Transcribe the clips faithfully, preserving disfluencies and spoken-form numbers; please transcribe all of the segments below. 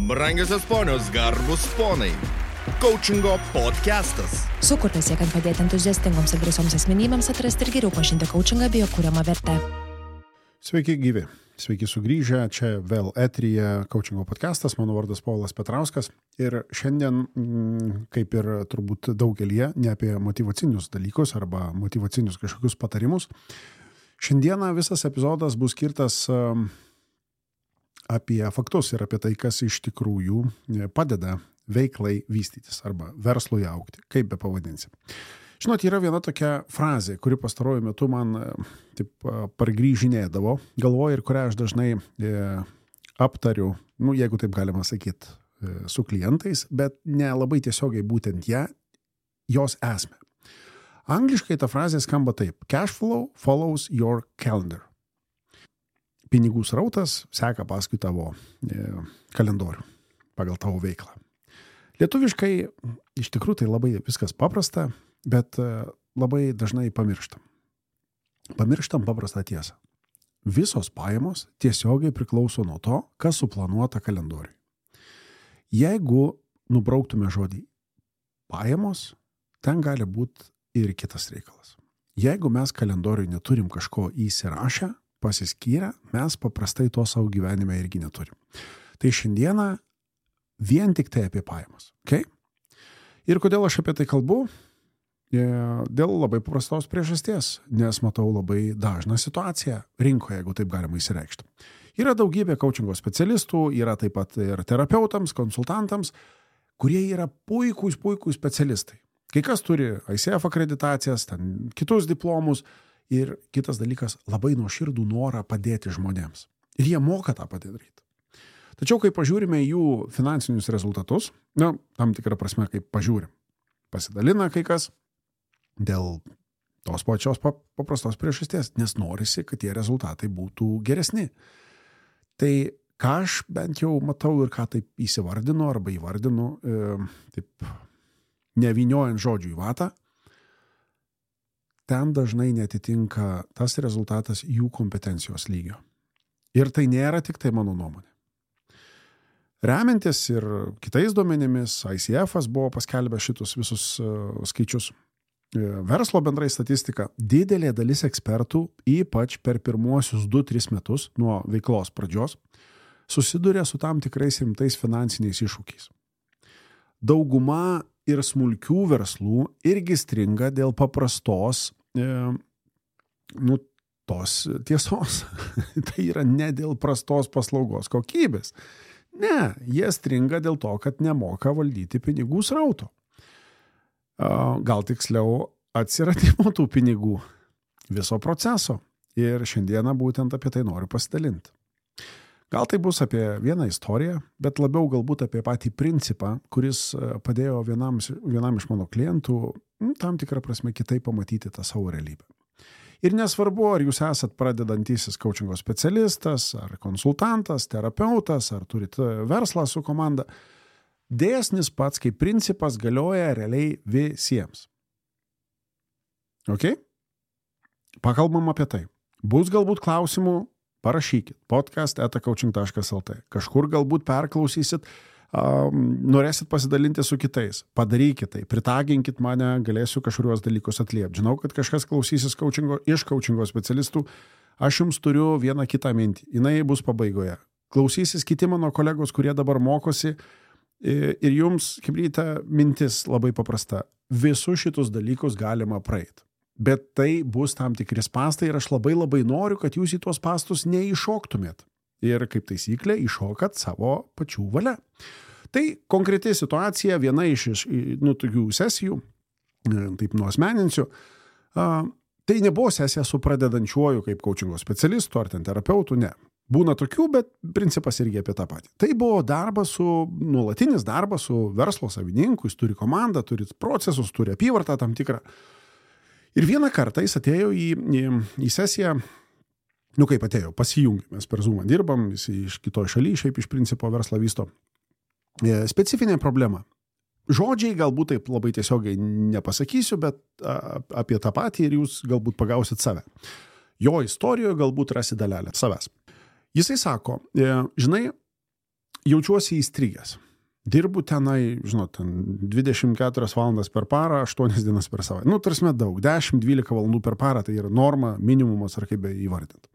Brangiosios ponios, garbus ponai. Coachingo podcastas. Sukurtas siekiant padėti entuziastingoms ir drąsioms asmenybėms atrasti ir geriau pažinti coachingą bei jo kuriamą vertę. Sveiki gyvi, sveiki sugrįžę, čia vėl eteryje Coachingo podcastas, mano vardas Povilas Petrauskas ir šiandien, kaip ir turbūt daugelie, ne apie motyvacinius dalykus arba motyvacinius kažkokius patarimus. Šiandieną visas epizodas bus skirtas apie faktus ir apie tai, kas iš tikrųjų padeda veiklai vystytis arba verslui augti, kaip be pavadinsi. Žinot, yra viena tokia frazė, kuri pastaruoju metu man taip pargrįžinėdavo galvoje ir kurią aš dažnai e, aptariu, nu, jeigu taip galima sakyti, e, su klientais, bet ne labai tiesiogiai būtent ją, jos esmę. Angliškai ta frazė skamba taip: cash flow follows your calendar. Pinigų srautas seka paskui tavo e, kalendorių, pagal tavo veiklą. Lietuviškai iš tikrųjų tai labai viskas paprasta, bet labai dažnai pamirštam. Pamirštam paprastą tiesą. Visos pajamos tiesiogiai priklauso nuo to, kas suplanuota kalendoriui. Jeigu nubrauktume žodį pajamos, ten gali būti ir kitas reikalas. Jeigu mes kalendoriui neturim kažko įsirašę, pasiskyrę, mes paprastai to savo gyvenime irgi neturim. Tai šiandieną vien tik tai apie pajamas. Okay? Ir kodėl aš apie tai kalbu? Dėl labai paprastos priežasties, nes matau labai dažną situaciją rinkoje, jeigu taip galima įsireikšti. Yra daugybė coachingo specialistų, yra taip pat ir terapeutams, konsultantams, kurie yra puikūs, puikūs specialistai. Kai kas turi I C F akreditacijas, ten kitus diplomus ir kitas dalykas, labai nuoširdų norą padėti žmonėms. Ir jie moka tą padaryti. Tačiau, kai pažiūrime jų finansinius rezultatus, na, tam tikrą prasme, kaip pažiūrim, pasidalina kai kas dėl tos pačios paprastos priežasties, nes norisi, kad tie rezultatai būtų geresni. Tai ką aš bent jau matau ir ką taip įsivardinu arba įvardinu, e, taip nevyniojant žodžių į vatą, ten dažnai netitinka tas rezultatas jų kompetencijos lygio. Ir tai nėra tik tai mano nuomonė. Remiantis ir kitais duomenimis, I C F'as buvo paskelbę šitus visus uh, skaičius. Verslo bendrai statistika, didelė dalis ekspertų, ypač per pirmuosius du tris metus nuo veiklos pradžios, susiduria su tam tikrais rimtais finansiniais iššūkiais. Dauguma ir smulkių verslų irgi stringa dėl paprastos e, nu, tos tiesos. Tai yra ne dėl prastos paslaugos kokybės. Ne, jie stringa dėl to, kad nemoka valdyti pinigų srauto. Gal tiksliau atsiradimo tų pinigų viso proceso. Ir šiandieną būtent apie tai noriu pasidalinti. Gal tai bus apie vieną istoriją, bet labiau galbūt apie patį principą, kuris padėjo vienam, vienam iš mano klientų tam tikrą prasme kitaip pamatyti tą savo realybę. Ir nesvarbu, ar jūs esat pradedantysis coachingo specialistas, ar konsultantas, terapeutas, ar turit verslą su komanda, dėsnis pats kaip principas galioja realiai visiems. Ok? Pakalbam apie tai. Bus galbūt klausimų, parašykit podcast eta coaching taškas el t. Kažkur galbūt perklausysit, um, norėsit pasidalinti su kitais. Padarykit tai, pritaginkit mane, galėsiu kažkuriuos dalykus atliepti. Žinau, kad kažkas klausysis coachingo, iš coachingo specialistų. Aš jums turiu vieną kitą mintį. Jinai bus pabaigoje. Klausysis kiti mano kolegos, kurie dabar mokosi. Ir jums, kaip ryte, mintis labai paprasta. Visus šitus dalykus galima praeiti. Bet tai bus tam tikri spąstai ir aš labai labai noriu, kad jūs į tuos spąstus neiššoktumėt. Ir kaip taisyklė, iššokat savo pačių valia. Tai konkreti situacija, viena iš nu, tokių sesijų, taip nuosmeninsiu, tai nebuvo sesija su pradedančiuoju kaip coachingo specialistu ar ten terapeutu, ne. Būna tokių, bet principas irgi apie tą patį. Tai buvo darbas su, nuolatinis darbas su verslo savininku, jis turi komandą, turi procesus, turi apyvartą tam tikrą. Ir vieną kartą jis atėjo į, į, į sesiją, nu kaip atėjo, pasijungė, mes per Zoomą dirbam, jis iš kitoj šaly, šiaip iš principo verslą vysto. Specifinė problema. Žodžiai galbūt taip labai tiesiogiai nepasakysiu, bet apie tą patį ir jūs galbūt pagausit save. Jo istorijoje galbūt rasi dalelę savęs. Jisai sako, žinai, jaučiuosi įstrigęs. Dirbu tenai, žinot, ten dvidešimt keturias valandas per parą, aštuonias dienas per savaitę. Nu, tarsi daug, dešimt dvylika valandų per parą, tai yra norma, minimumas ar kaip be įvardinti.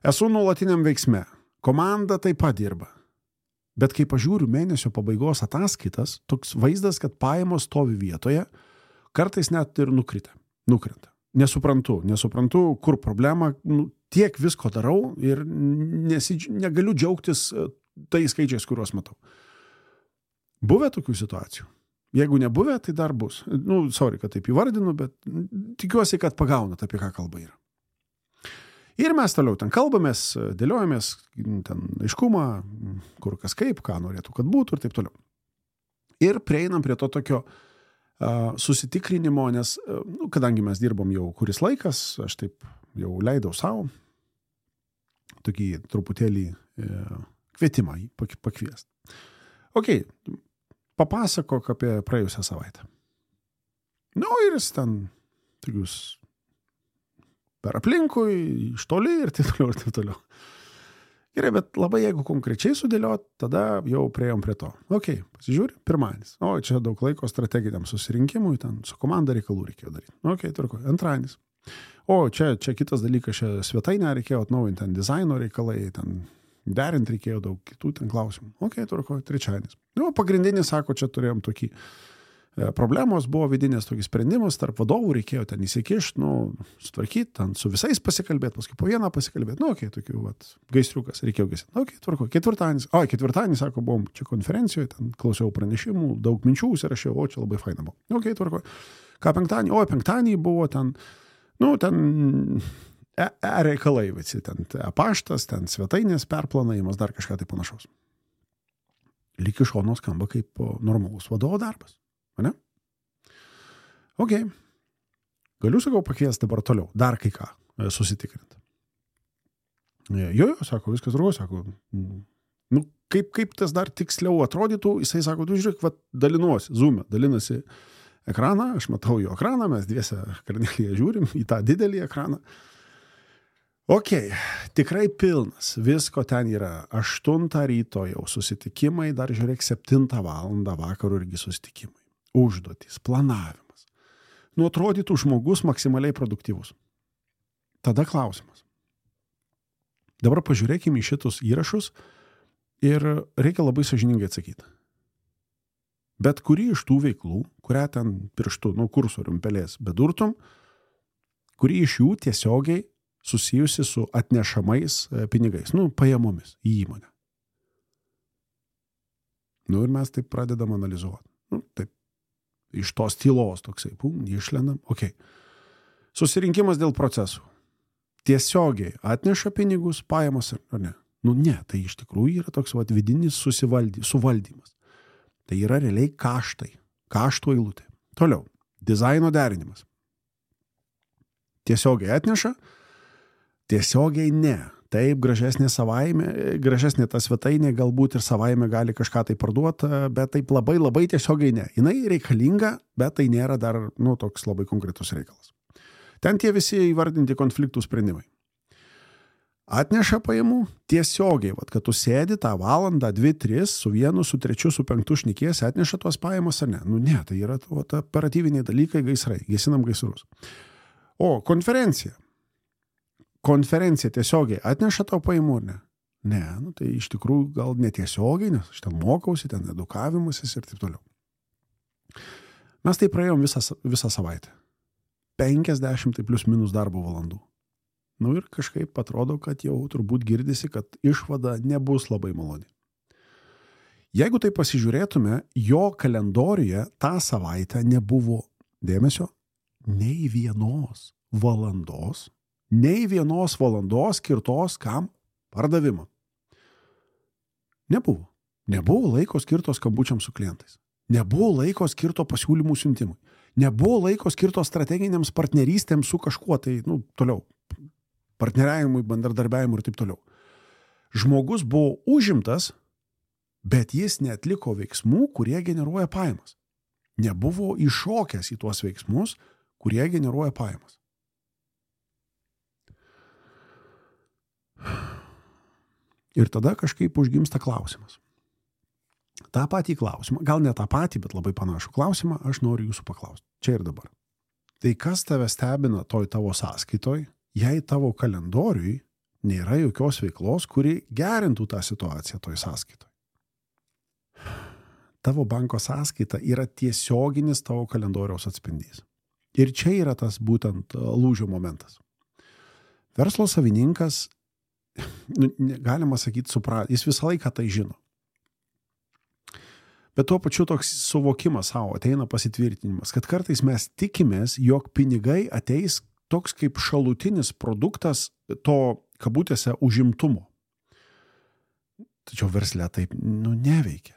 Esu nuolatiniam veiksme. Komanda taip pat dirba. Bet kai pažiūriu mėnesio pabaigos ataskaitas, toks vaizdas, kad pajamos stovi vietoje, kartais net ir nukrita. nukrenta. Nesuprantu, nesuprantu, kur problema, nu, tiek visko darau ir nesi, negaliu džiaugtis tais skaičiais, kuriuos matau. Buvę tokių situacijų. Jeigu nebuvę, tai dar bus. Nu, sorry, kad taip įvardinu, bet tikiuosi, kad pagaunat, apie ką kalba yra. Ir mes toliau ten kalbamės, dėliojamės, ten aiškumą, kur kas kaip, ką norėtų, kad būtų ir taip toliau. Ir prieinam prie to tokio uh, susitikrinimo, nes, uh, nu, kadangi mes dirbom jau kuris laikas, aš taip jau leidau savo tokį truputėlį uh, kvietimą pakviesti. Okei, okay, papasakok apie praėjusią savaitę. Nu, ir jis ten tokius per aplinkui, iš toli ir taip toliau, ir taip toliau. Gerai, bet labai jeigu konkrečiai sudėliot, tada jau priejom prie to. Okei, pasižiūri, pirmadienis. O, čia daug laiko strateginiam susirinkimui, ten su komanda reikalų reikėjo daryti. Okei, tvarko, antradienis. O, čia, čia kitas dalykas, čia svetainę reikėjo atnaujinti, ten dizaino reikalai, ten derinti reikėjo daug kitų ten klausimų. Okei, tvarko, trečiadienis. Nu, pagrindinis, sako, čia turėjom tokį e, problemos, buvo vidinės tokį sprendimus, tarp vadovų reikėjo ten įsikišti, nu, sutvarkyti, ten su visais pasikalbėti, paskui po vieną pasikalbėti. Nu, okei, tokių, vat, gaisriukas, reikėjo gesinti. Okei, tvarko, ketvirtadienis. O, ketvirtadienis, sako, buvom čia konferencijoje, ten klausiau pranešimų, daug minčių užsirašiau, o, čia labai faina buvo. Okei, tvarko. Ką penktadienį? O, penktadienį buvo ten, nu, ten E, e reikalai visi, ten paštas, ten svetainės perplanavimas, dar kažką tai panašaus. Lyg iš šono skamba kaip normalus vadovo darbas, ne? Okei. Okay. Galiu, sakau, pakviesti dabar toliau, dar kai ką susitikrinti. Jo, jo, sako, viskas drugo, sako, nu, kaip, kaip tas dar tiksliau atrodytų, jisai sako, tu žiūrėk, va, dalinuosi, zoom'e, dalinasi ekraną, aš matau jo ekraną, mes dviese Karnelyje žiūrim į tą didelį ekraną. Okei, okay, tikrai pilnas, visko ten yra, aštuntą ryto jau susitikimai, dar žiūrėk, septintą valandą vakarų irgi susitikimai, užduotys, planavimas. Nu, atrodytų žmogus maksimaliai produktyvus. Tada klausimas. Dabar pažiūrėkime į šitus įrašus ir reikia labai sąžiningai atsakyti. Bet kuri iš tų veiklų, kurią ten pirštu, nu, kursorium pelės bedurtum, kuri iš jų tiesiogiai susijusi su atnešamais pinigais, nu, pajamomis į įmonę. Nu, ir mes taip pradedam analizuoti. Nu, taip, iš tos tylos toksai, pum, išlendam, okei. Okay. Susirinkimas dėl procesų. Tiesiogiai atneša pinigus, pajamos ar ne? Nu, ne, tai iš tikrųjų yra toks vat, vidinis susivaldy, suvaldymas. Tai yra realiai kaštai, kaštų eilutė. Toliau, dizaino derinimas. Tiesiogiai atneša, tiesiogiai ne. Taip, gražesnė savaime, gražesnė ta svetainė galbūt ir savaime gali kažką tai parduoti, bet taip labai labai tiesiogiai ne. Jinai reikalinga, bet tai nėra dar, nu, toks labai konkretus reikalas. Ten tie visi įvardinti konfliktų sprendimai. Atneša pajamų tiesiogiai, vat, kad tu sėdi tą valandą, dvi, tris, su vienu, su trečiu, su penktu šnikiesi, atneša tuos pajamas ar ne? Nu ne, tai yra vat, operatyviniai dalykai, gaisrai, gesinam gaisrus. O, konferencija. Konferencija tiesiogiai atneša tau pajamų ar ne? Ne, nu tai iš tikrųjų gal netiesiogiai, nes aš ten mokausi, ten edukavimasis ir taip toliau. Mes tai praėjom visą, visą savaitę. penkiasdešimt tai plius minus darbo valandų. Nu ir kažkaip atrodo, kad jau turbūt girdisi, kad išvada nebus labai maloni. Jeigu tai pasižiūrėtume, jo kalendoriuje tą savaitę nebuvo dėmesio nei vienos valandos, nei vienos valandos skirtos kam? Pardavimą. Nebuvo. Nebuvo laiko skirto skambučiam su klientais. Nebuvo laiko skirto pasiūlymų siuntimui. Nebuvo laiko skirto strateginiams partnerystėms su kažkuo, tai, nu, toliau. Partneriavimui, bendradarbiavimui ir taip toliau. Žmogus buvo užimtas, bet jis neatliko veiksmų, kurie generuoja pajamas. Nebuvo iššokęs į tuos veiksmus, kurie generuoja pajamas. Ir tada kažkaip užgimsta klausimas. tą patį klausimą, gal ne tą patį, bet labai panašų klausimą, aš noriu jūsų paklausti. Čia ir dabar. Tai kas tave stebina toj tavo sąskaitoj, jei tavo kalendoriui nėra jokios veiklos, kuri gerintų tą situaciją toj sąskaitoj? Tavo banko sąskaita yra tiesioginis tavo kalendoriaus atspindys. Ir čia yra tas būtent lūžio momentas. Verslo savininkas, galima sakyti, suprat, jis visą laiką tai žino. Bet tuo pačiu toks suvokimas savo ateina pasitvirtinimas, kad kartais mes tikimės, jog pinigai ateis toks kaip šalutinis produktas to, kabutėse, užimtumo. Tačiau versle taip, nu, neveikia.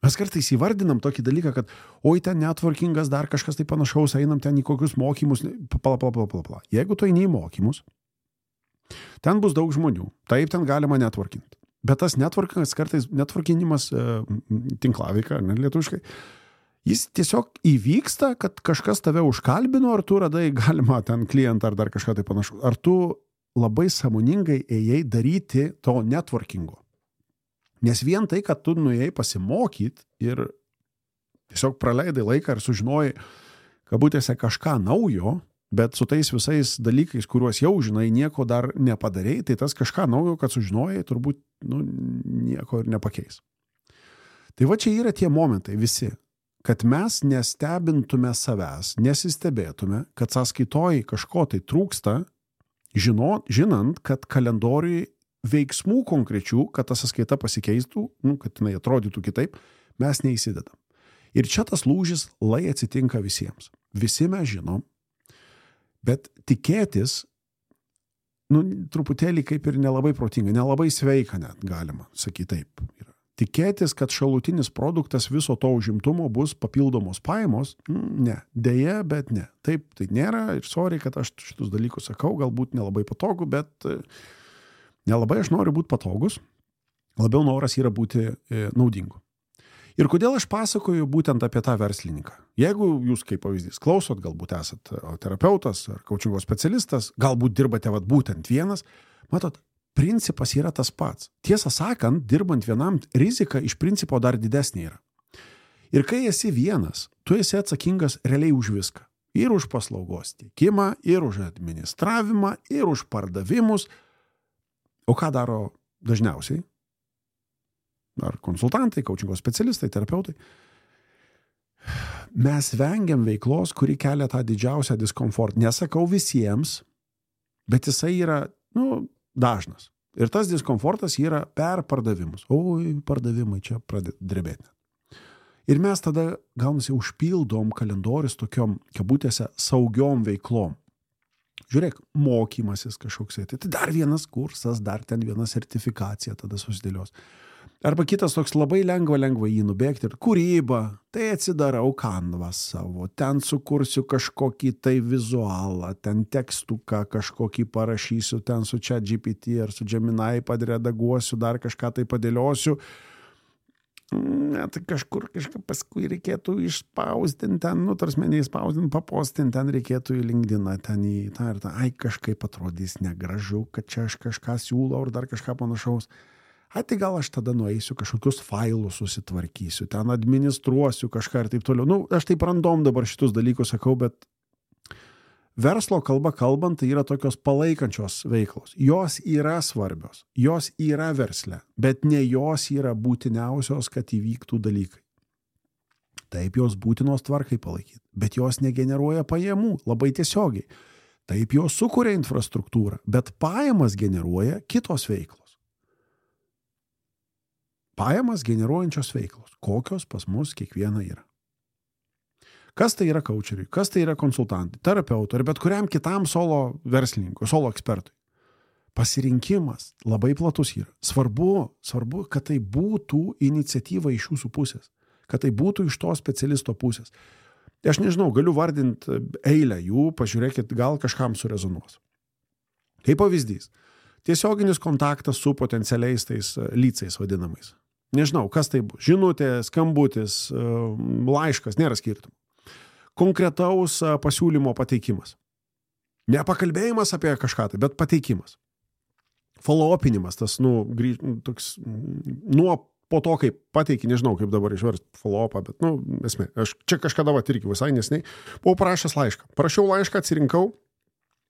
Mes kartais įvardinam tokį dalyką, kad oi, ten networkingas, dar kažkas tai panašaus, einam ten į kokius mokymus, pala, pala, pala, pala, pala. Jeigu tu eini į mokymus, ten bus daug žmonių, taip ten galima networkinti. Bet tas networkingas, kartais networkinimas, e, tinklaveika, ne lietuviškai, jis tiesiog įvyksta, kad kažkas tave užkalbino, ar tu radai galima ten klientą, ar dar kažką tai panašu. Ar tu labai sąmoningai ėjai daryti to networkingo. Nes vien tai, kad tu nuėjai pasimokyti ir tiesiog praleidai laiką ir sužinojai, kabutėse, kažką naujo, bet su tais visais dalykais, kuriuos jau žinai, nieko dar nepadarėjai, tai tas kažką naujo, kad sužinojai, turbūt nu, nieko ir nepakeis. Tai va čia yra tie momentai visi, kad mes nestebintume savęs, nesistebėtume, kad sąskaitoj kažko tai trūksta, žino, žinant, kad kalendoriui veiksmų konkrečių, kad ta sąskaita pasikeistų, nu, kad jinai atrodytų kitaip, mes neįsidedam. Ir čia tas lūžis lai atsitinka visiems. Visi mes žinom, bet tikėtis, nu, truputėlį kaip ir nelabai protinga, nelabai sveika net galima, sakyti taip. Yra. Tikėtis, kad šalutinis produktas viso to užimtumo bus papildomos pajamos, ne, dėja, bet ne. Taip, tai nėra ir sorry, kad aš šitus dalykus sakau, galbūt nelabai patogu, bet nelabai aš noriu būti patogus, labiau noras yra būti e, naudingu. Ir kodėl aš pasakoju būtent apie tą verslininką? Jeigu jūs kaip pavyzdys klausot, galbūt esat terapeutas ar coachingo specialistas, galbūt dirbate vat, būtent vienas, matot, principas yra tas pats. Tiesą sakant, dirbant vienam, rizika iš principo dar didesnė yra. Ir kai esi vienas, tu esi atsakingas realiai už viską. Ir už paslaugos teikimą, ir už administravimą, ir už pardavimus. O ką daro dažniausiai? Ar konsultantai, coachingo specialistai, terapeutai? Mes vengiam veiklos, kuri kelia tą didžiausią diskomfortą. Nesakau visiems, bet jisai yra, nu, dažnas. Ir tas diskomfortas yra per pardavimus. Oi, pardavimai čia pradeda drebėti. Ir mes tada, gaunasi, užpildom kalendorius tokiom, kabutėse, saugiom veiklom. Žiūrėk, mokymasis kažkoks, tai dar vienas kursas, dar ten viena sertifikacija tada susidėlios. Arba kitas toks labai lengva, lengva jį nubėgti ir kūryba, tai atsidarau kanvą savo, ten sukursiu kažkokį tai vizualą, ten tekstuką kažkokį parašysiu, ten su ChatGPT ar su Gemini padredaguosiu, dar kažką tai padėliosiu. Ne, tai kažkur kažką paskui reikėtų išspausdinti ten, nu, tarsi neįspausdinti, papostinti, ten reikėtų į LinkedIną, ten į tą ir tą, ai, kažkaip atrodys negražu, kad čia aš kažką siūlau ar dar kažką panašaus. Ai, tai gal aš tada nueisiu kažkokius failus susitvarkysiu, ten administruosiu kažką ir taip toliau. Nu, aš taip random dabar šitus dalykus sakau, bet verslo kalba kalbant, tai yra tokios palaikančios veiklos. Jos yra svarbios, jos yra versle, bet ne jos yra būtiniausios, kad įvyktų dalykai. Taip jos būtinos tvarkai palaikyti, bet jos negeneruoja pajamų labai tiesiogiai. Taip jos sukuria infrastruktūrą, bet pajamas generuoja kitos veiklos. Pajamas generuojančios veiklos, kokios pas mus kiekviena yra. Kas tai yra coacheriui, kas tai yra konsultantai, terapeutui ar bet kuriam kitam solo verslininkui, solo ekspertui. Pasirinkimas labai platus yra. Svarbu, svarbu, kad tai būtų iniciatyva iš jūsų pusės, kad tai būtų iš to specialisto pusės. Aš nežinau, galiu vardinti eilę jų, pažiūrėkit, gal kažkam surezonuos. Kaip pavyzdys, tiesioginis kontaktas su potencialiais tais lycais vadinamais. Nežinau, kas tai bus. Žinutė, skambutis, laiškas, nėra skirtumų. Konkretaus pasiūlymo pateikimas. Ne pakalbėjimas apie kažką tai, bet pateikimas. Follow-upinimas, tas, nu, grįž, toks, nuo po to, kaip pateiki, nežinau, kaip dabar išverst follow-upą, bet, nu, esmė, aš čia kažkada va irgi visai nesnei, buvau parašęs laišką. Parašiau laišką, atsirinkau,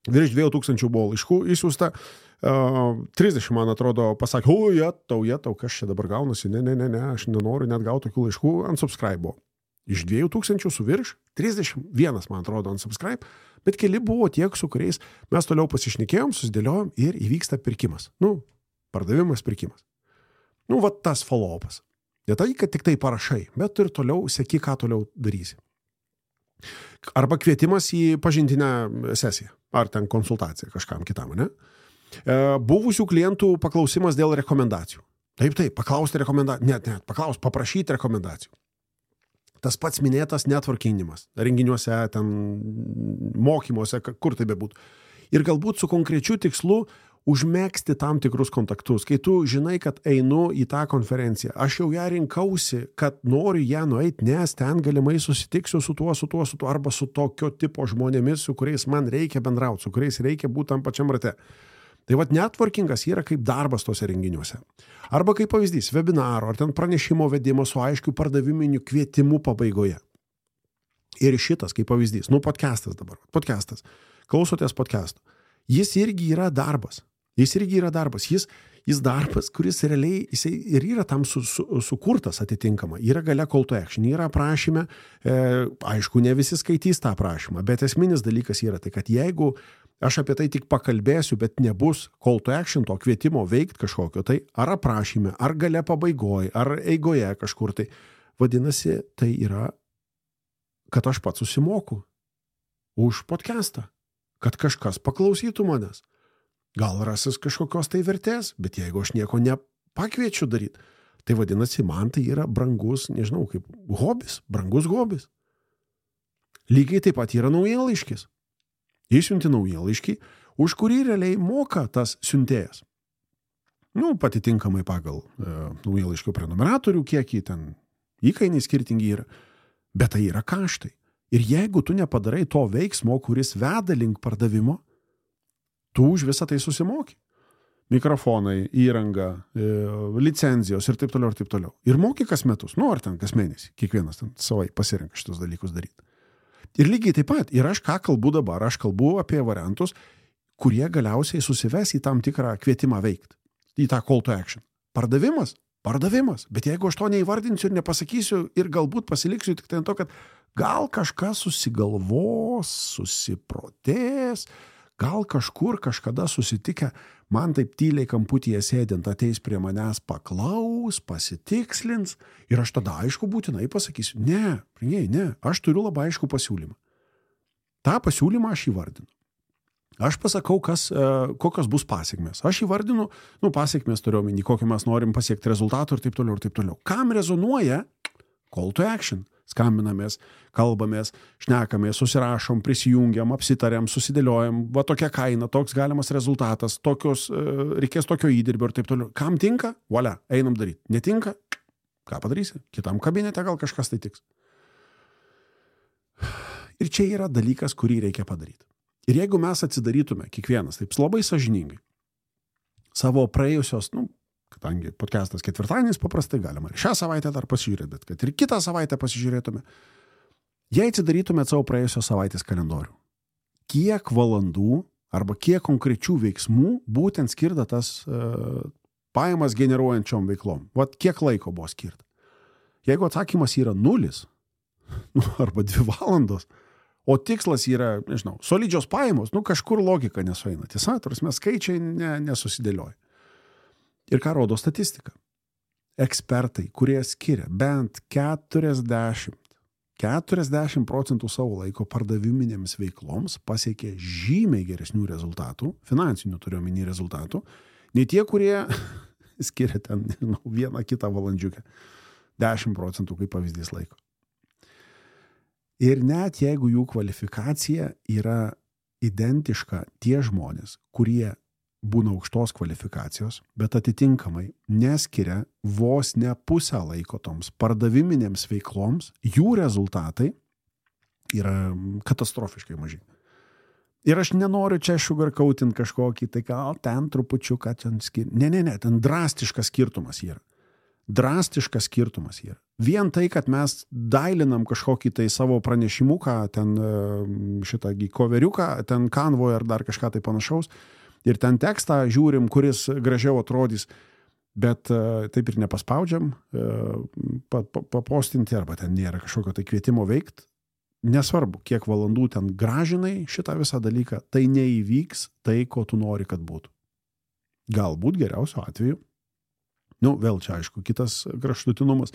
virš dviejų tūkstančių buvo laiškų išsiųsta, uh, trisdešimt, man atrodo, pasakė, o, jetau, jetau, kas čia dabar gaunasi, ne, ne, ne, ne, aš nenoriu net gauti tokių laiškų, unsubscribe buvo. Iš dviejų tūkstančių su virš, trisdešimt vienas, man atrodo, unsubscribe, bet keli buvo tiek, su kuriais mes toliau pasišnekėjom, susidėliojom ir įvyksta pirkimas. Nu, pardavimas, pirkimas. Nu, va tas follow-upas. Ne tai, kad tik tai parašai, bet ir toliau seki, ką toliau darysi. Arba kvietimas į pažintinę sesiją, ar ten konsultaciją kažkam kitam, ne? E, buvusių klientų paklausimas dėl rekomendacijų. Taip, taip, paklausti rekomendacijų, net, net, paklausti, paprašyti rekomendacijų. Tas pats minėtas networkinimas, renginiuose, ten mokymuose, kur tai bebūtų. Ir galbūt su konkrečiu tikslu užmegzti tam tikrus kontaktus. Kai tu žinai, kad einu į tą konferenciją, aš jau ją rinkausi, kad noriu ją nueiti, nes ten galimai susitiksiu su tuo, su tuo, su tuo, arba su tokio tipo žmonėmis, su kuriais man reikia bendrauti, su kuriais reikia būti tam pačiam rate. Tai vat networkingas yra kaip darbas tose renginiuose. Arba kaip pavyzdys, webinaro, ar ten pranešimo vedimo su aiškiu pardaviminiu kvietimu pabaigoje. Ir šitas kaip pavyzdys, nu podcastas dabar, podcastas, klausotės podcastų. Jis irgi yra darbas. Jis irgi yra darbas. Jis, jis darbas, kuris realiai jisai ir yra tam su, su, sukurtas atitinkama. Yra gale call to action, yra prašyme, e, aišku, ne visi skaitys tą prašymą, bet esminis dalykas yra tai, kad jeigu aš apie tai tik pakalbėsiu, bet nebus call to action, to kvietimo veikti kažkokio, tai ar aprašyme, ar gale pabaigoje, ar eigoje kažkur, tai vadinasi, tai yra, kad aš pats susimoku už podcastą, kad kažkas paklausytų manęs. Gal rasis kažkokios tai vertės, bet jeigu aš nieko nepakviečiu daryti, tai vadinasi, man tai yra brangus, nežinau, kaip hobis, brangus hobis. Lygiai taip pat yra naujienlaiškis. Išsiunti naujienlaiškį, už kurį realiai moka tas siuntėjas. Nu, patitinkamai pagal e, naujienlaiškio prenumeratorių kiekį, ten įkainiai skirtingi yra, bet tai yra kaštai. Ir jeigu tu nepadarai to veiksmo, kuris veda link pardavimo, tu už visą tai susimoki. Mikrofonai, įranga, e, licenzijos ir taip toliau ir taip toliau. Ir moki kas metus, nu ar ten kas mėnesį, kiekvienas ten savai pasirenka šitos dalykus daryti. Ir lygiai taip pat, ir aš ką kalbu dabar, aš kalbu apie variantus, kurie galiausiai susives į tam tikrą kvietimą veikti, į tą call to action. Pardavimas? Pardavimas. Bet jeigu aš to neįvardinsiu ir nepasakysiu ir galbūt pasiliksiu tik tai to, kad gal kažkas susigalvos, susiprotės, gal kažkur kažkada susitikę, man taip tyliai kamputyje sėdint ateis prie manęs paklaus, pasitikslins ir aš tada aišku būtinai pasakysiu, ne, pringiai, ne, aš turiu labai aišku pasiūlymą. Ta pasiūlymą aš įvardinu. Aš pasakau, kas, kokios bus pasiekmės. Aš įvardinu, nu, pasiekmės turiu omeny, kokį mes norim pasiekti rezultatų ir taip toliau ir taip toliau. Kam rezonuoja call to action? Skambinamės, kalbamės, šnekamės, susirašom, prisijungiam, apsitariam, susidėliojam, va tokia kaina, toks galimas rezultatas, tokios, reikės tokio įdirbio ir taip toliau. Kam tinka? Volia, einam daryti. Netinka? Ką padarysi? Kitam kabinete gal kažkas tai tiks. Ir čia yra dalykas, kurį reikia padaryti. Ir jeigu mes atsidarytume, kiekvienas, taip labai sąžiningai, savo praėjusios, nu, kadangi podcastas ketvirtadienis paprastai galima ir šią savaitę dar pasižiūrėti, bet kad ir kitą savaitę pasižiūrėtume, jei atsidarytume savo praėjusios savaitės kalendorių, kiek valandų arba kiek konkrečių veiksmų būtent skirta tas uh, pajamas generuojančiom veiklom. Vat kiek laiko buvo skirta. Jeigu atsakymas yra nulis, nu, arba dvi valandos, o tikslas yra, nežinau, solidžios pajamos, nu kažkur logika nesueina. Tiesa, tarsi skaičiai ne, nesusidėlioja. Ir ką rodo statistika? Ekspertai, kurie skiria bent keturiasdešimt, keturiasdešimt procentų savo laiko pardaviminėms veikloms, pasiekė žymiai geresnių rezultatų, finansinių turiu omeny rezultatų, nei tie, kurie skiria ten, nežinau, vieną kitą valandžiukę. dešimt procentų kaip pavyzdys laiko. Ir net jeigu jų kvalifikacija yra identiška, tie žmonės, kurie būna aukštos kvalifikacijos, bet atitinkamai neskiria vos ne pusę laiko toms pardaviminėms veikloms, jų rezultatai yra katastrofiškai maži. Ir aš nenoriu čia sugarcoatinti kažkokį, tai gal ten trupučiuką ten skir... Ne, ne, ne, ten drastiškas skirtumas yra. drastiškas skirtumas yra. Vien tai, kad mes dailinam kažkokį tai savo pranešimuką, ten šitą koveriuką, ten Canvoje ar dar kažką tai panašaus, ir ten tekstą žiūrim, kuris gražiau atrodys, bet taip ir nepaspaudžiam papostinti, arba ten nėra kažkokio tai kvietimo veikti. Nesvarbu, kiek valandų ten gražinai šitą visą dalyką, tai neįvyks tai, ko tu nori, kad būtų. Galbūt geriausiu atveju, nu, vėl čia aišku, kitas kraštutinumas,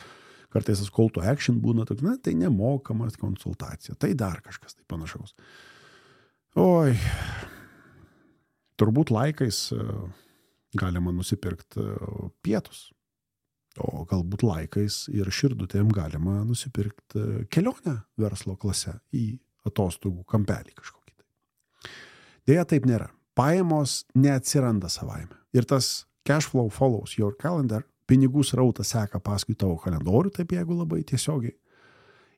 kartais tas call to action būna, toks, na, tai nemokamas konsultacija, tai dar kažkas tai panašaus. Oi, turbūt laikais galima nusipirkti pietus, o galbūt laikais ir širdutėm galima nusipirkti kelionę verslo klase į atostogų kampelį kažkokį. Deja, taip nėra. Pajamos neatsiranda savaime. Ir tas cash flow follows your calendar, pinigų srautas seka paskui tavo kalendorių, taip jeigu labai tiesiogiai.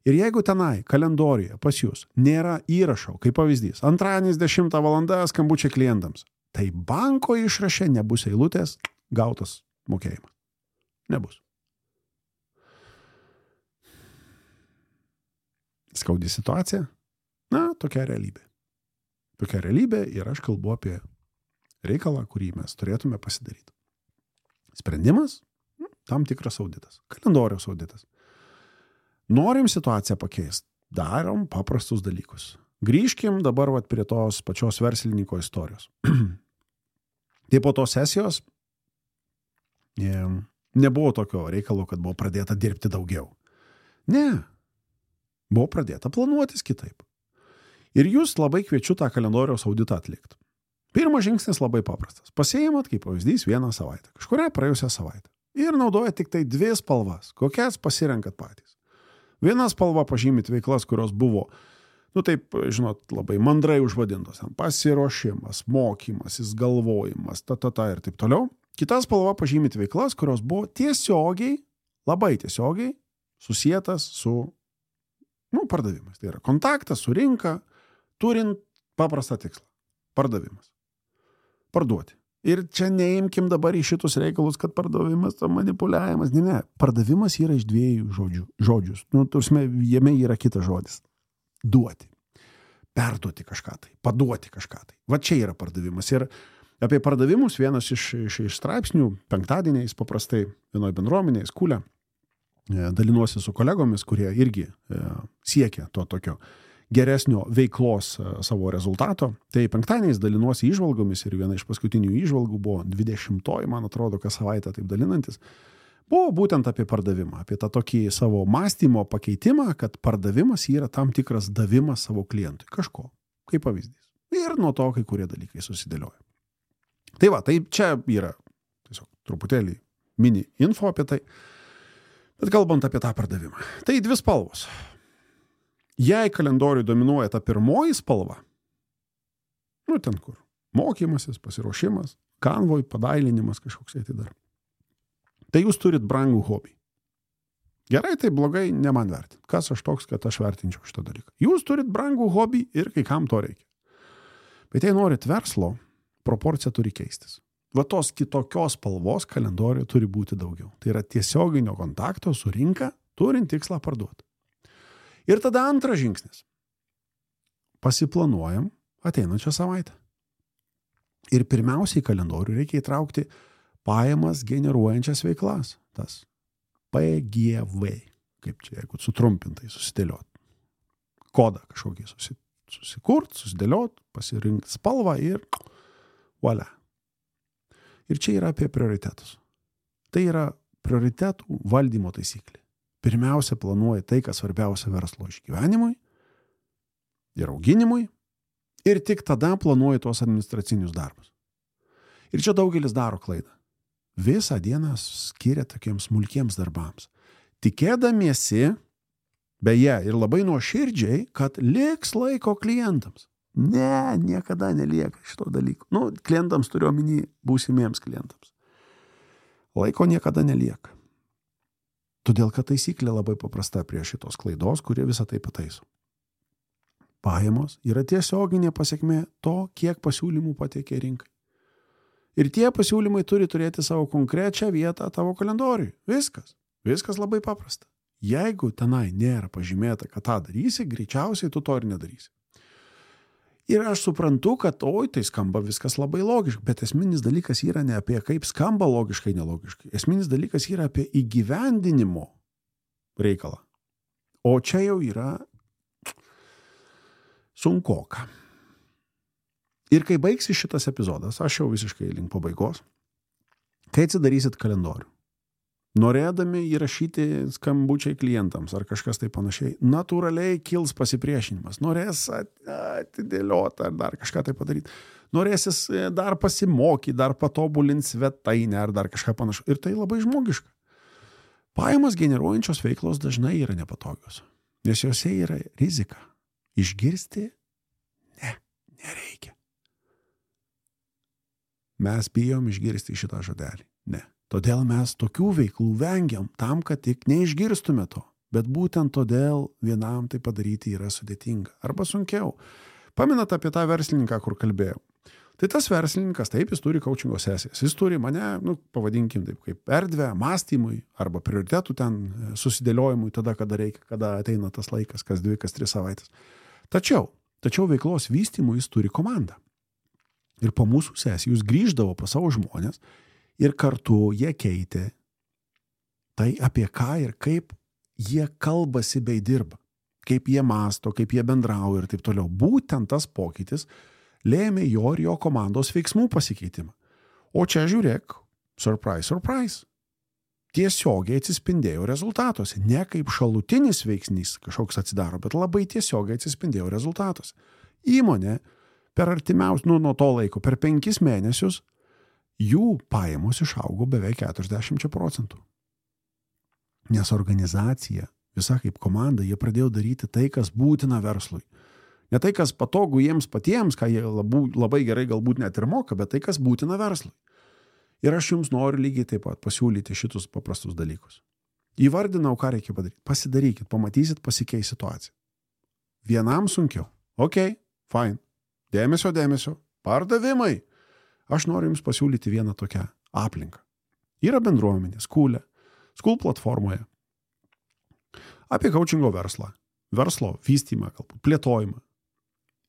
Ir jeigu tenai kalendoriuje pas jūs nėra įrašo, kaip pavyzdys, antradienis dešimtą valandą skambučiai klientams, tai banko išraše nebus eilutės, gautas mokėjimas. Nebus. Skaudi situacija? Na, tokia realybė. Tokia realybė ir aš kalbu apie reikalą, kurį mes turėtume pasidaryti. Sprendimas? Tam tikras auditas. Kalendoriaus auditas. Norim situaciją pakeisti. Darom paprastus dalykus. Grįžkim dabar vat, prie tos pačios verslininko istorijos. Tai po tos sesijos nebuvo tokio reikalo, kad buvo pradėta dirbti daugiau. Ne. Buvo pradėta planuotis kitaip. Ir jūs labai kviečiu tą kalendoriaus auditą atlikti. Pirmas žingsnis labai paprastas. Pasiimat, kaip pavyzdys, vieną savaitę. Kažkurią praėjusią savaitę. Ir naudojat tik tai dvi spalvas. Kokias pasirenkat patys. Viena spalva pažymit veiklas, kurios buvo, nu taip, žinot, labai mandrai užvadintos. Pasiruošimas, mokymasis, galvojimas, ta, ta, ta ir taip toliau. Kita spalva pažymit veiklas, kurios buvo tiesiogiai, labai tiesiogiai susietas su, nu, pardavimas. Tai yra kontaktas su rinka, turint paprastą tikslą. Pardavimas. Parduoti. Ir čia neimkim dabar į šitus reikalus, kad pardavimas, manipuliavimas. Ne, ne. Pardavimas yra iš dviejų žodžių. Žodžius. Nu, tursime, jame yra kitas žodis. Duoti. Perduoti kažką tai. Paduoti kažką tai. Va čia yra pardavimas. Ir apie pardavimus vienas iš, iš, iš straipsnių penktadieniais paprastai vienoje bendruomenėje skūlė dalinuosi su kolegomis, kurie irgi e, siekia to tokio geresnio veiklos e, savo rezultato. Tai penktadieniais dalinuosi įžvalgomis ir viena iš paskutinių įžvalgų buvo dvidešimtoji, man atrodo, kas savaitę taip dalinantis, buvo būtent apie pardavimą, apie tą tokį savo mąstymo pakeitimą, kad pardavimas yra tam tikras davimas savo klientui kažko, kaip pavyzdys. Ir nuo to kai kurie dalykai susidėlioja. Tai va, tai čia yra tiesiog truputėlį mini info apie tai, bet kalbant apie tą pardavimą. Tai dvi spalvos. Jei kalendoriui dominuoja ta pirmoji spalva, nu ten kur, mokymasis, pasiruošimas, Canvoje padailinimas kažkoks tai dar, tai jūs turit brangų hobį. Gerai, tai blogai, ne man vertinti. Kas aš toks, kad aš vertinčiau šitą dalyką? Jūs turit brangų hobį ir kai kam to reikia. Bet jei norit verslo, proporcija turi keistis. Va tos kitokios spalvos kalendoriuje turi būti daugiau. Tai yra tiesioginio kontakto su rinka, turint tikslą parduoti. Ir tada antras žingsnis. Pasiplanuojam ateinančią savaitę. Ir pirmiausiai kalendorių reikia įtraukti pajamas generuojančias veiklas. Tas P G V. Kaip čia, jeigu sutrumpintai susidėliot. Kodą kažkokį susikurt, susidėliot, pasirinkti spalvą ir voilà. Ir čia yra apie prioritetus. Tai yra prioritetų valdymo taisyklė. Pirmiausia, planuoji tai, kas svarbiausia verslo išgyvenimui ir auginimui, ir tik tada planuoji tuos administracinius darbus. Ir čia daugelis daro klaidą. Visą dieną skiria tokiems smulkiems darbams. Tikėdamiesi, beje, ir labai nuoširdžiai, kad liks laiko klientams. Ne, niekada nelieka šito dalyko. Nu, klientams turiu omeny būsimiems klientams. Laiko niekada nelieka. Todėl, kad taisyklė labai paprasta prie šitos klaidos, kurie visą tai pataiso. Pajamos yra tiesioginė pasiekmė to, kiek pasiūlymų pateikė rinkai. Ir tie pasiūlymai turi turėti savo konkrečią vietą tavo kalendoriui. Viskas. Viskas labai paprasta. Jeigu tenai nėra pažymėta, kad tą darysi, greičiausiai tu to ir nedarysi. Ir aš suprantu, kad oi, tai skamba viskas labai logiškai, bet esminis dalykas yra ne apie kaip skamba logiškai, nelogiškai. Esminis dalykas yra apie įgyvendinimo reikalą. O čia jau yra sunkoka. Ir kai baigsi šitas epizodas, aš jau visiškai link pabaigos, kai atsidarysit kalendorių, norėdami įrašyti skambučiai klientams ar kažkas tai panašiai, natūraliai kils pasipriešinimas. Norės atidėlioti ar dar kažką tai padaryti. Norėsis dar pasimokyti, dar patobulinti svetainę ar dar kažką panašu. Ir tai labai žmogiška. Pajamas generuojančios veiklos dažnai yra nepatogios, nes jose yra rizika. Išgirsti? Ne, nereikia. Mes bijom išgirsti šitą žodelį. Ne. Todėl mes tokių veiklų vengiam tam, kad tik neišgirstume to. Bet būtent todėl vienam tai padaryti yra sudėtinga. Arba sunkiau. Paminat apie tą verslininką, kur kalbėjau. Tai tas verslininkas, taip, jis turi coachingo sesijas. Jis turi mane, nu, pavadinkim taip, kaip erdvę, mąstymui arba prioritetų ten susidėliojimui tada, kada reikia, kada ateina tas laikas, kas dvi, kas tris savaitės. Tačiau, tačiau veiklos vystymui jis turi komandą. Ir po mūsų sesijų jis grįždavo pas savo žmonės ir kartu jie keitė tai, apie ką ir kaip jie kalbasi bei dirba, kaip jie mąsto, kaip jie bendrauja ir taip toliau. Būtent tas pokytis lėmė jo ir jo komandos veiksmų pasikeitimą. O čia žiūrėk, surprise, surprise. Tiesiogiai atsispindėjo rezultatuose. Ne kaip šalutinis veiksnys kažkoks atsidaro, bet labai tiesiogiai atsispindėjo rezultatuose. Įmonė per artimiausius, nu, nuo to laiko, per penkis mėnesius jų pajamos išaugo beveik keturiasdešimt procentų. Nes organizacija, visa kaip komanda, jie pradėjo daryti tai, kas būtina verslui. Ne tai, kas patogu jiems patiems, ką jie labai, labai gerai galbūt net ir moka, bet tai, kas būtina verslui. Ir aš jums noriu lygiai taip pat pasiūlyti šitus paprastus dalykus. Įvardinau, ką reikia padaryti. Pasidarykit, pamatysit, pasikeis situacija. Vienam sunkiau. Ok, fine. Dėmesio, dėmesio. Pardavimai. Aš noriu jums pasiūlyti vieną tokią aplinką. Yra bendruomenė, Skool, Skool platformoje. Apie coachingo verslą, verslo vystymą, galbūt plėtojimą.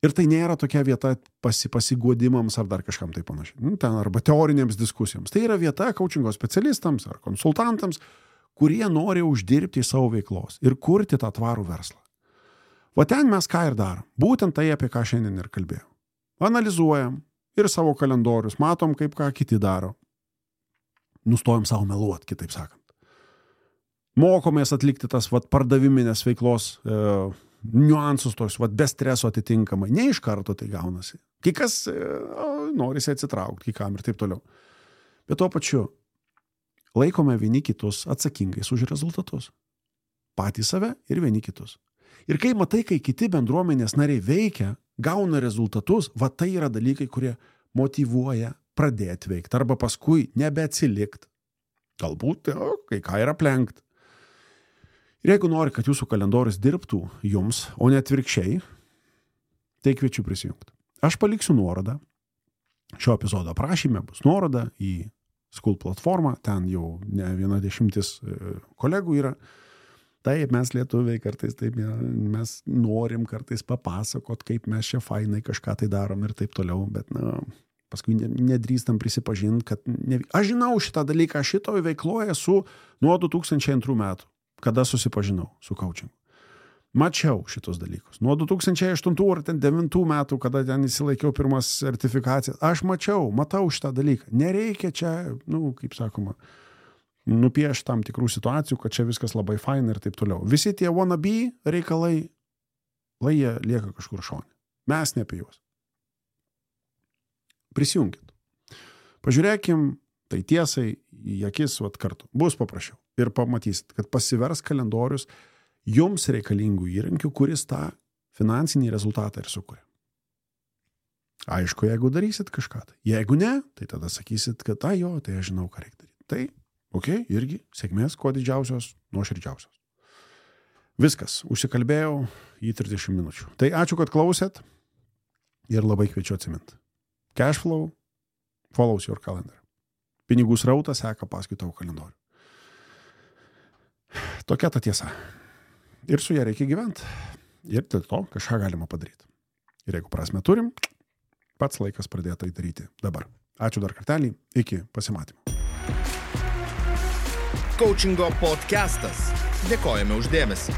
Ir tai nėra tokia vieta pasi, pasiguodimams ar dar kažkam tai panašiai. Nu, ten arba teorinėms diskusijoms. Tai yra vieta coachingo specialistams ar konsultantams, kurie nori uždirbti iš savo veiklos ir kurti tą tvarų verslą. O ten mes ką ir darom. Būtent tai, apie ką šiandien ir kalbėjau. Analizuojam ir savo kalendorius, matom, kaip ką kiti daro. Nustojam savo meluot, kitaip sakant. Mokomės atlikti tas vat, pardaviminės veiklos e, niuansus, tos vat, be streso atitinkamai. Ne iš karto tai gaunasi. Kai kas e, norisi atsitraukti, kai kam ir taip toliau. Bet tuo pačiu laikome vieni kitus atsakingais už rezultatus. Patys save ir vieni kitus. Ir kai matai, kai kiti bendruomenės nariai veikia, gauna rezultatus, va tai yra dalykai, kurie motyvuoja pradėti veikti arba paskui nebeatsilikt. Galbūt jo, kai ką yra aplenkt. Ir jeigu nori, kad jūsų kalendorius dirbtų jums, o ne atvirkščiai, tai kviečiu prisijungti. Aš paliksiu nuorodą. Šio epizodo aprašyme bus nuoroda į Skool platformą. Ten jau ne viena dešimtis kolegų yra. Taip, mes lietuviai kartais taip, mes norim kartais papasakot, kaip mes čia fainai kažką tai darom ir taip toliau, bet na, paskui nedrįstam prisipažinti, kad ne... Aš žinau šitą dalyką, aš šitoj veikloje esu nuo du tūkstančiai antrų metų, kada susipažinau su coachingu. Mačiau šitos dalykus. Nuo du tūkstančiai aštuntų ar devintų metų, kada ten įsilaikiau pirmas sertifikacijas, aš mačiau, matau šitą dalyką. Nereikia čia, nu, kaip sakoma, nupieš tam tikrų situacijų, kad čia viskas labai faina ir taip toliau. Visi tie wannabe reikalai, lai jie lieka kažkur šone. Mes ne apie juos. Prisijungit. Pažiūrėkim tai tiesai į akis vat kartu. Bus paprasčiau. Ir pamatysit, kad pasivers kalendorius jums reikalingų įrankių, kuris tą finansinį rezultatą ir sukuria. Aišku, jeigu darysit kažką tai. Jeigu ne, tai tada sakysit, kad tai jo, tai aš žinau, ką reikia daryti. Tai ok, irgi sėkmės, kuo didžiausios, nuoširdžiausios. Viskas, užsikalbėjau į trisdešimt minučių. Tai ačiū, kad klausėt ir labai kviečiu atsiminti. Cashflow Follows your calendar. Pinigų srautas seka paskui tavo kalendorių. Tokia ta tiesa. Ir su ją reikia gyventi. Ir dėl to kažką galima padaryti. Ir jeigu prasme turim, pats laikas pradėti tai daryti dabar. Ačiū dar kartelį. Iki pasimatymo. Coachingo podcastas. Dėkojame už dėmesį.